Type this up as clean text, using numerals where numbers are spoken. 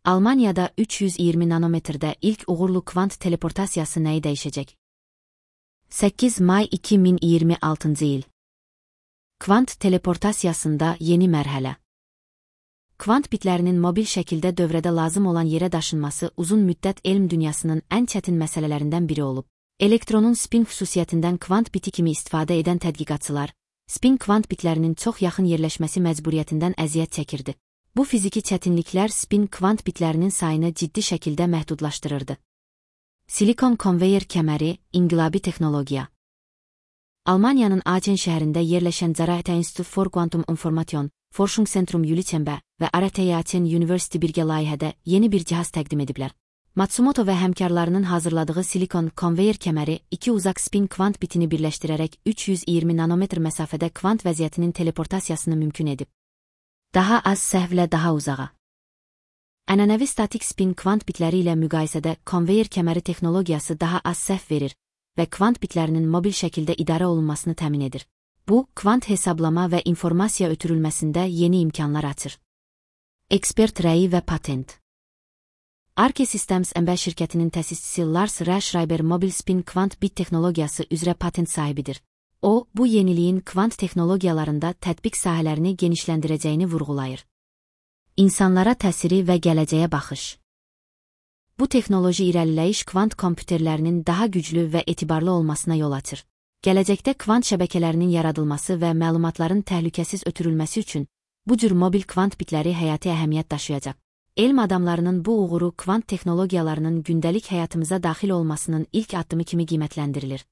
Almaniyada 320 nanometrdə ilk uğurlu kvant teleportasiyası nəyi dəyişəcək? 8 may 2026 il. Kvant teleportasiyasında yeni mərhələ. Kvant bitlərinin mobil şəkildə dövrədə lazım olan yerə daşınması uzun müddət elm dünyasının ən çətin məsələlərindən biri olub. Elektronun spin xüsusiyyətindən kvant biti kimi istifadə edən tədqiqatçılar, spin kvant bitlərinin çox yaxın yerləşməsi məcburiyyətindən əziyyət çəkirdi. Bu fiziki çətinliklər spin kvant bitlərinin sayını ciddi şəkildə məhdudlaşdırırdı. Silikon konveyer kəməri, inqilabi texnologiya. Almaniyanın Aachen şəhərində yerləşən Zaraate Institut for Quantum Information, Forschungszentrum Jülichembe və RTI Aachen University birgə layihədə yeni bir cihaz təqdim ediblər. Matsumoto və həmkarlarının hazırladığı silikon konveyer kəməri iki uzaq spin kvant bitini birləşdirərək 320 nanometr məsafədə kvant vəziyyətinin teleportasiyasını mümkün edib. Daha az səhvlə daha uzağa. Ənənəvi statik spin kvant bitləri ilə müqayisədə konveyer kəməri texnologiyası daha az səhv verir və kvant bitlərinin mobil şəkildə idarə olunmasını təmin edir. Bu, kvant hesablama və informasiya ötürülməsində yeni imkanlar açır. Ekspert rəyi və patent. Arke Systems MB şirkətinin təsisçisi Lars R. Schreiber mobil spin kvant bit texnologiyası üzrə patent sahibidir. O, bu yeniliyin kvant texnologiyalarında tətbiq sahələrini genişləndirəcəyini vurğulayır. İnsanlara təsiri və gələcəyə baxış. Bu texnoloji irəliləyiş kvant kompüterlərinin daha güclü və etibarlı olmasına yol açır. Gələcəkdə kvant şəbəkələrinin yaradılması və məlumatların təhlükəsiz ötürülməsi üçün bu cür mobil kvant bitləri həyati əhəmiyyət daşıyacaq. Elm adamlarının bu uğuru kvant texnologiyalarının gündəlik həyatımıza daxil olmasının ilk addımı kimi qiymətləndirilir.